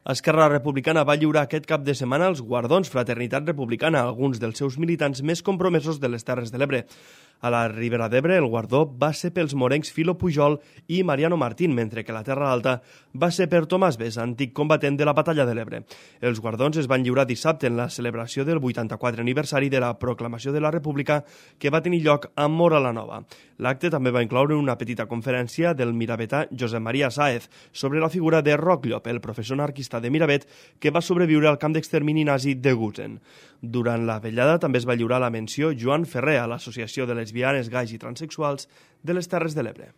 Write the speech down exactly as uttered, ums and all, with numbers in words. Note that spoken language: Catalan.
Esquerra Republicana va lliurar aquest cap de setmana els guardons Fraternitat Republicana a alguns dels seus militants més compromesos de les Terres de l'Ebre. A la Ribera d'Ebre, el guardó va ser pels morencs Filo Pujol i Mariano Martín, mentre que la Terra Alta va ser per Tomàs Bes, antic combatent de la Batalla de l'Ebre. Els guardons es van lliurar dissabte en la celebració del vuitanta-quatre aniversari de la proclamació de la República que va tenir lloc a Móra la Nova. L'acte també va incloure una petita conferència del miravetà Josep Maria Sáez sobre la figura de Roc Llop, el professor anarquista de Miravet que va sobreviure al camp d'extermini nazi de Gusen. Durant la vetllada també es va lliurar la menció Joan Ferrer a l'Associació de Lesbianes, Gais i Transsexuals de les Terres de l'Ebre.